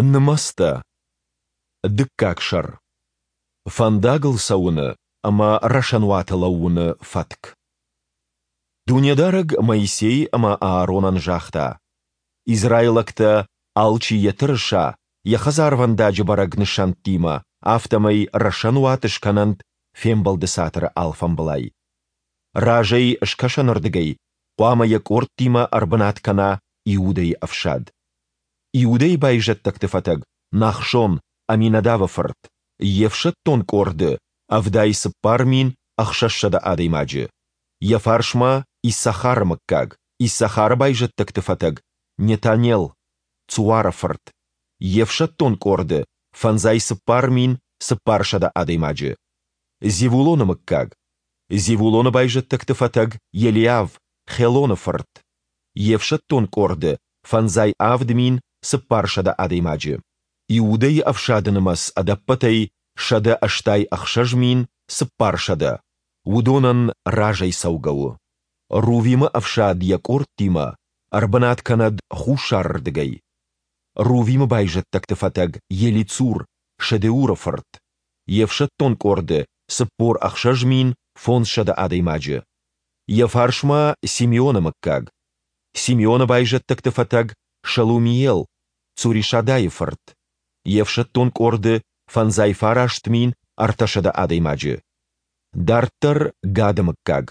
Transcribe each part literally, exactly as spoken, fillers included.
Нымӕцтӕ. Дыккаг сӕр. Фӕндагыл цӕуыны ӕмӕ рӕсӕнуаты лӕууыны фӕтк. Дунедарӕг Моисей ӕмӕ Ааронӕн загъта: Израилӕгтӕ, алчи йӕ тырыса, йӕ хӕдзарвӕндаджы бӕрӕг нысӕнттимӕ, афтӕмӕй рӕсӕнуат скӕнӕнт Фембӕлды Цатыры алфамбылай. Разӕй, скӕсӕнырдыгӕй, хъуамӕ йӕ къордтимӕ ӕрбынат кӕна Иудӕйы ӕфсад. Иудӕйы байзӕддӕгты фӕтӕг Нахшон, Аминадавы фырт, йе фсӕддон къорды ӕвдай цыппар мин ӕхсӕзсӕдӕ адӕймаджы. Йӕ фарсмӕ Иссахары мыггаг, Иссахары байзӕддӕгты фӕтӕг Нетанел, Цуары фырт, йе фсӕддон къорды фӕндзай цыппар мин цыппарсӕдӕ адӕймаджы. Зевулоны мыггаг, Зевулоны байзӕддӕгты фӕтӕг Елиав, Хелоны фырт, йе фсӕддон къорды фӕндзай авд мин цыппарсӕдӕ адӕймаджы. Иудӕйы ӕфсады нымӕц ӕдӕппӕтӕй сӕдӕ ӕстай ӕхсӕз мин цыппарсӕдӕ. Уыдонӕн разӕй цӕугӕ у. Рувимы ӕфсад йӕ къордтимӕ ӕрбынат кӕнӕд хуссарырдыгӕй. Рувимы байзӕддӕгты фӕтӕг Елицур, Шедеуры фырт, йе фсӕддон къорды цыппор ӕхсӕз мин фондзсӕдӕ адӕймаджы. Йӕ фарсмӕ Симеоны мыггаг. Симеоны байзӕддӕгты фӕтӕг Шелумиел, Цуришадайы фырт, йе фсӕддон къорды фӕндзай фараст мин ӕртӕсӕдӕ адӕймаджы. Дарддӕр Гады мыггаг.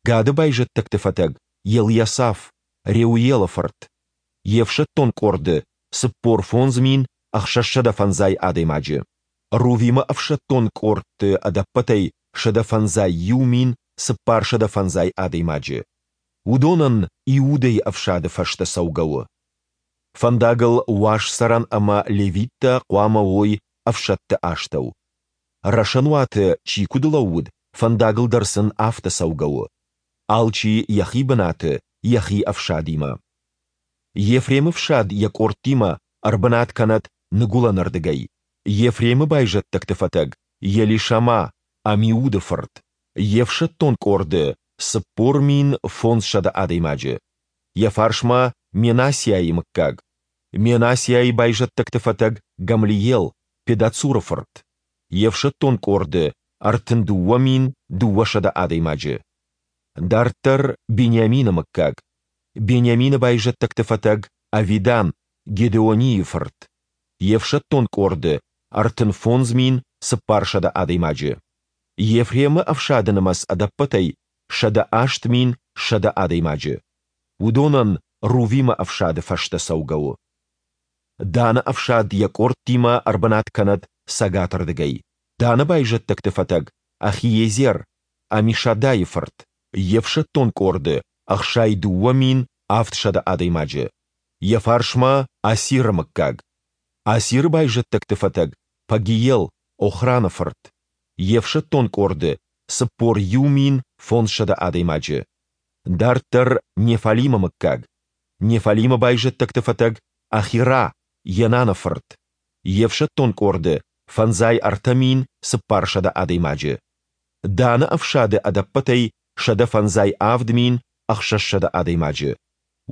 Гады байзӕддӕгты фӕтӕг Елйасаф, Реуелы фырт, йе фсӕддон къорды цыппор фондз мин ӕхсӕзсӕдӕ фӕндзай адӕймаджы. Рувимы ӕфсӕддон къордты ӕдӕппӕтӕй сӕдӕ фӕндзай иу мин цыппарсӕдӕ фӕндзай адӕймаджы. Уыдонӕн Иудӕйы ӕфсады фӕстӕ цӕугӕ у. Фӕндагыл уаз цӕрӕн ӕмӕ левиттӕ хъуамӕ уой ӕфсӕдты астӕу. Рӕсӕнуаты чи куыд лӕууыд, фӕндагыл дӕр сын афтӕ цӕугӕ у. Алчи йӕхи бынаты, йӕхи ӕфсадимӕ. Ефремы фсад йӕ къордтимӕ ӕрбынат кӕнӕд ныгуылӕнырдыгӕй. Ефремы байзӕддӕгты фӕтӕг Елишама, Амиуды фырт, йе фсӕддон къорды цыппор мин фондзсӕдӕ адӕймаджы. Йӕ фарсмӕ Менассиайы мыггаг. Менассиайы байзӕддӕгты фӕтӕг Гамлиел, Педацуры фырт, йе фсӕддон къорды ӕртын дыууӕ мин дыууӕсӕдӕ адӕймаджы. Дарддӕр Бениамины мыггаг. Бениамины байзӕддӕгты фӕтӕг Авидан, Гедеонийы фырт, йе фсӕддон къорды ӕртын фондз мин цыппарсӕдӕ адӕймаджы. Ефремы ӕфсады нымӕц ӕдӕппӕтӕй сӕдӕ аст мин сӕдӕ адӕймаджы. Уыдонӕн Рувимы ӕфсады фӕстӕ цӕугӕ у. Даны ӕфсад йӕ къордтимӕ ӕрбынат кӕнӕд цӕгатырдыгӕй. Даны байзӕддӕгты фӕтӕг Ахиезер, Амишадайы фырт, йе фсӕддон къорды ӕхсай дыууӕ мин авдсӕдӕ адӕймаджы. Йӕ фарсмӕ Асиры мыггаг. Асиры байзӕддӕгты фӕтӕг Пагиел, Охраны фырт, йе фсӕддон къорды цыппор иу мин фондзсӕдӕ адӕймаджы. Дарддӕр Неффалимы мыггаг. Неффалимы байзӕддӕгты фӕтӕг Ахира, Енаны фырт, йе фсӕддон къорды фӕндзай ӕртӕ мин цыппарсӕдӕ адӕймаджы. Даны ӕфсады ӕдӕппӕтӕй сӕдӕ фӕндзай авд мин ӕхсӕзсӕдӕ адӕймаджы.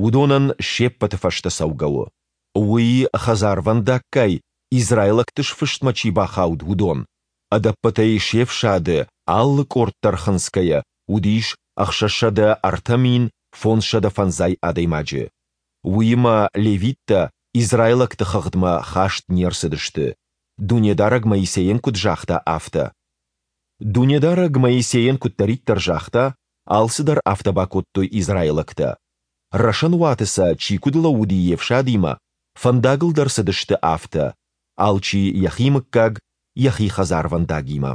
Уыдонӕн се ппӕты фӕстӕ цӕугӕ у. Уый хӕдзарвӕндаггай израилӕгты сфыстмӕ чи бахауд, уыдон, ӕдӕппӕтӕй се фсады алы къорд дӕр хынцгӕйӕ, уыдис ӕхсӕзсӕдӕ ӕртӕ мин фондзсӕдӕ фӕндзай адӕймаджы. Уыимӕ левиттӕ израилӕгты хыгъдмӕ хаст не рцыдысты, Дунедарӕг Моисейӕн куыд загъта, афтӕ. Дунедарӕг Моисейӕн куыддӕриддӕр загъта, алцыдӕр афтӕ бакодтой израилӕгтӕ. Рӕсӕнуаты сӕ чи куыд лӕууыди йе фсадимӕ, фӕндагыл дӕр цыдысты афтӕ, алчи йӕхи мыггаг, йӕхи хӕдзарвӕндагимӕ.